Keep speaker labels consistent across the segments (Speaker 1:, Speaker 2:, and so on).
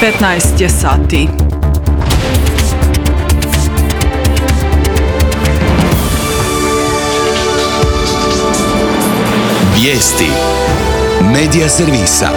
Speaker 1: 15 je sati.
Speaker 2: Vijesti Medija servisa.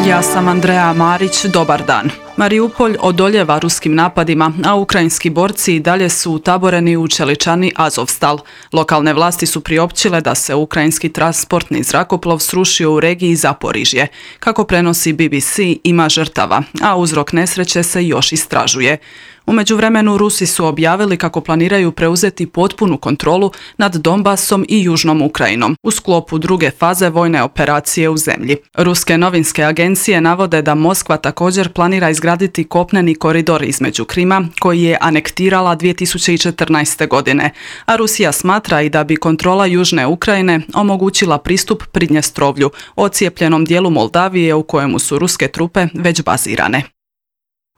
Speaker 1: Ja sam Andreja Marić, dobar dan. Mariupolj odoljeva ruskim napadima, a ukrajinski borci i dalje su utaboreni u čeličani Azovstal. Lokalne vlasti su priopćile da se ukrajinski transportni zrakoplov srušio u regiji Zaporižje. Kako prenosi BBC, ima žrtava, a uzrok nesreće se još istražuje. U međuvremenu Rusi su objavili kako planiraju preuzeti potpunu kontrolu nad Donbasom i Južnom Ukrajinom u sklopu druge faze vojne operacije u zemlji. Ruske novinske agencije navode da Moskva također planira izgraditi kopneni koridor između Krima, koji je anektirala 2014. godine, a Rusija smatra i da bi kontrola Južne Ukrajine omogućila pristup Pridnjestrovlju, ocijepljenom dijelu Moldavije u kojemu su ruske trupe već bazirane.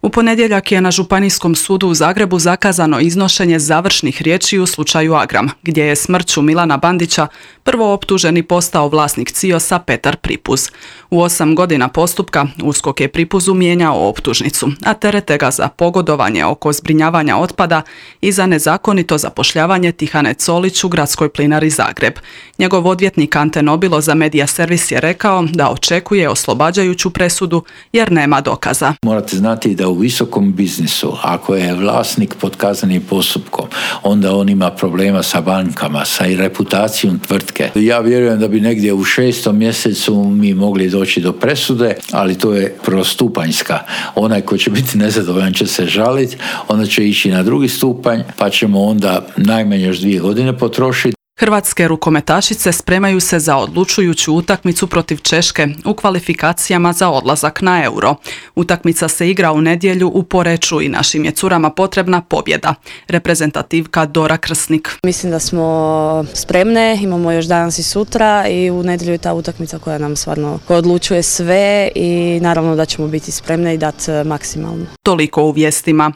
Speaker 1: U ponedjeljak je na Županijskom sudu u Zagrebu zakazano iznošenje završnih riječi u slučaju Agram, gdje je smrću Milana Bandića prvooptuženi postao vlasnik CIOS-a Petar Pripuz. U 8 godina postupka USKOK je Pripuzu mijenjao optužnicu, a terete ga za pogodovanje oko zbrinjavanja otpada i za nezakonito zapošljavanje Tihane Colić u Gradskoj plinari Zagreb. Njegov odvjetnik Ante Nobilo za Medija servis je rekao da očekuje oslobađajuću presudu jer nema dokaza.
Speaker 3: Morate znati da u visokom biznisu, ako je vlasnik pod kaznenim postupkom, onda on ima problema sa bankama, sa i reputacijom tvrtke. Ja vjerujem da bi negdje u 6. mjesecu mi mogli doći do presude, ali to je prvostupanjska. Onaj ko će biti nezadovoljan će se žaliti, onda će ići na drugi stupanj, pa ćemo onda najmanje još 2 godine potrošiti.
Speaker 1: Hrvatske rukometašice spremaju se za odlučujuću utakmicu protiv Češke u kvalifikacijama za odlazak na Euro. Utakmica se igra u nedjelju u Poreču i našim je curama potrebna pobjeda. Reprezentativka Dora Krsnik.
Speaker 4: Mislim da smo spremne, imamo još danas i sutra i u nedjelju je ta utakmica koja nam stvarno odlučuje sve i naravno da ćemo biti spremne i dati maksimalno.
Speaker 1: Toliko u vijestima.